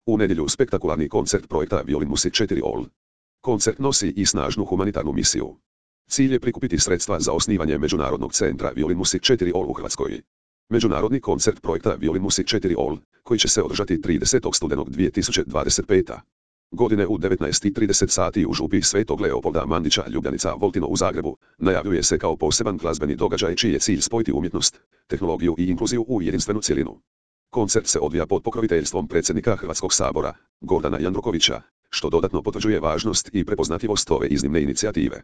U nedjelju spektakularni koncert projekta Violin Music 4 All. Koncert nosi i snažnu humanitarnu misiju. Cilj je prikupiti sredstva za osnivanje Međunarodnog centra Violin Music 4 All u Hrvatskoj. Međunarodni koncert projekta Violin Music 4 All, koji će se održati 30. studenog 2025. godine u 19:30 sati u župi Svetog Leopolda Mandića Ljubljanica Voltino u Zagrebu, najavljuje se kao poseban glazbeni događaj čiji je cilj spojiti umjetnost, tehnologiju i inkluziju u jedinstvenu cjelinu. Koncert se odvija pod pokroviteljstvom predsjednika Hrvatskog sabora, Gordana Jandrokovića, što dodatno potvrđuje važnost i prepoznatljivost ove iznimne inicijative.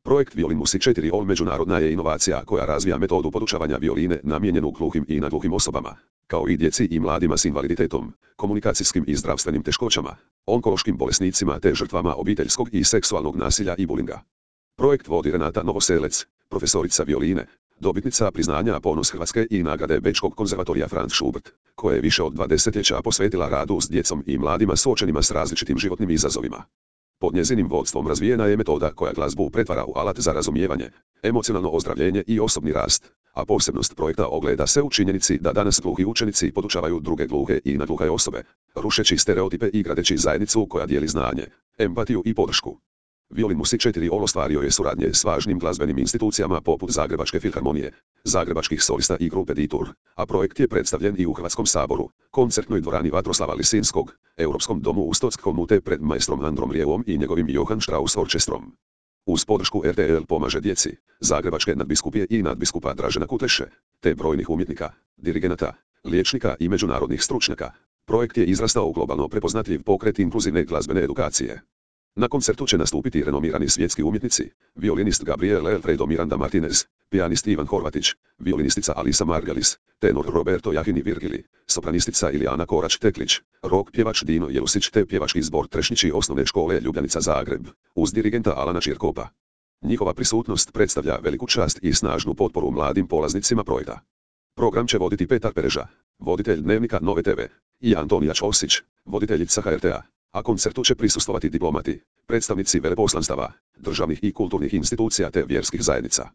Projekt Violin Music 4 All međunarodna je inovacija koja razvija metodu podučavanja violine namijenjenu gluhim i nagluhim osobama, kao i djeci i mladima s invaliditetom, komunikacijskim i zdravstvenim teškoćama, onkološkim bolesnicima te žrtvama obiteljskog i seksualnog nasilja i bulinga. Projekt vodi Renata Novoselec, profesorica violine, dobitnica priznanja Ponos Hrvatske i nagrade Bečkog konzervatorija Franz Schubert, koja je više od 2 desetljeća posvetila radu s djecom i mladima suočenima s različitim životnim izazovima. Pod njezinim vodstvom razvijena je metoda koja glazbu pretvara u alat za razumijevanje, emocionalno ozdravljenje i osobni rast, a posebnost projekta ogleda se u činjenici da danas gluhi učenici podučavaju druge gluhe i nagluhe osobe, rušeći stereotipe i gradeći zajednicu koja dijeli znanje, empatiju i podršku. Violin Music 4 All ostvario je suradnje s važnim glazbenim institucijama poput Zagrebačke filharmonije, zagrebačkih solista i grupe Ditur, a projekt je predstavljen i u Hrvatskom saboru, koncertnoj dvorani Vatroslava Lisinskog, Europskom domu u Stockholmu te pred majstrom Androm Rijevom i njegovim Johann Strauss orkestrom. Uz podršku RTL pomaže djeci, Zagrebačke nadbiskupije i nadbiskupa Dražena Kutleše, te brojnih umjetnika, dirigenata, liječnika i međunarodnih stručnjaka, projekt je izrastao u globalno prepoznatljiv pokret inkluzivne glazbene edukacije. Na koncertu će nastupiti renomirani svjetski umjetnici, violinist Gabriel Alfredo Miranda Martinez, pijanist Ivan Horvatić, violinistica Alisa Margalis, tenor Roberto Jahini Virgili, sopranistica Ilijana Korač-Teklić, rock pjevač Dino Jelusić te pjevački zbor Trešnjići osnovne škole Ljubljanica Zagreb, uz dirigenta Alana Čirkopa. Njihova prisutnost predstavlja veliku čast i snažnu potporu mladim polaznicima projekta. Program će voditi Petar Pereža, voditelj Dnevnika Nove TV, i Antonija Ćosić, voditeljica HRT-a. A koncertu će prisustvovati diplomati, predstavnici veleposlanstava, državnih i kulturnih institucija te vjerskih zajednica.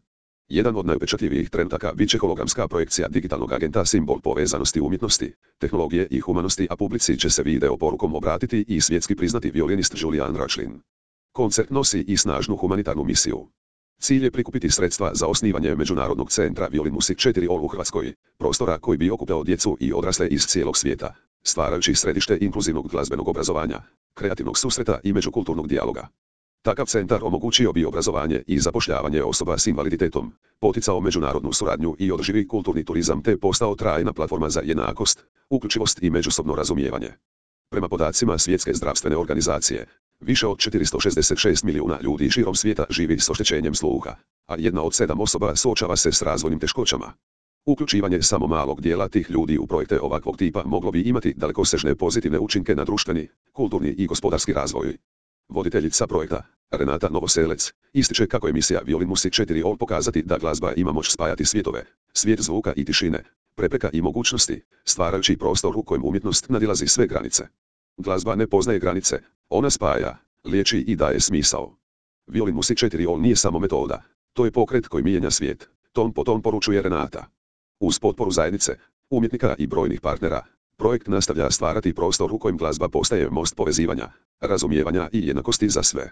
Jedan od najupečatljivijih trenutaka bit će hologramska projekcija digitalnog agenta, simbol povezanosti umjetnosti, tehnologije i humanosti, a publici će se video porukom obratiti i svjetski priznati violinist Julian Rachlin. Koncert nosi i snažnu humanitarnu misiju. Cilj je prikupiti sredstva za osnivanje Međunarodnog centra Violin Music 4 All u Hrvatskoj, prostora koji bi okupljao djecu i odrasle iz cijelog svijeta, stvarajući središte inkluzivnog glazbenog obrazovanja, kreativnog susreta i međukulturnog dijaloga. Takav centar omogućio bi obrazovanje i zapošljavanje osoba s invaliditetom, poticao međunarodnu suradnju i održivi kulturni turizam te postao trajna platforma za jednakost, uključivost i međusobno razumijevanje. Prema podacima Svjetske zdravstvene organizacije, više od 466 milijuna ljudi širom svijeta živi s oštećenjem sluha, a 1 od 7 osoba suočava se s razvojnim teškoćama. Uključivanje samo malog dijela tih ljudi u projekte ovakvog tipa moglo bi imati dalekosežne pozitivne učinke na društveni, kulturni i gospodarski razvoj. Voditeljica projekta, Renata Novoselec, ističe kako je misija Violin Music 4 All pokazati da glazba ima moć spajati svjetove, svijet zvuka i tišine, prepreka i mogućnosti, stvarajući prostor u kojem umjetnost nadilazi sve granice. Glazba ne poznaje granice, ona spaja, liječi i daje smisao. Violin Music 4 All nije samo metoda, to je pokret koji mijenja svijet, ton po ton poručuje Renata. Uz potporu zajednice, umjetnika i brojnih partnera, projekt nastavlja stvarati prostor u kojem glazba postaje most povezivanja, razumijevanja i jednakosti za sve.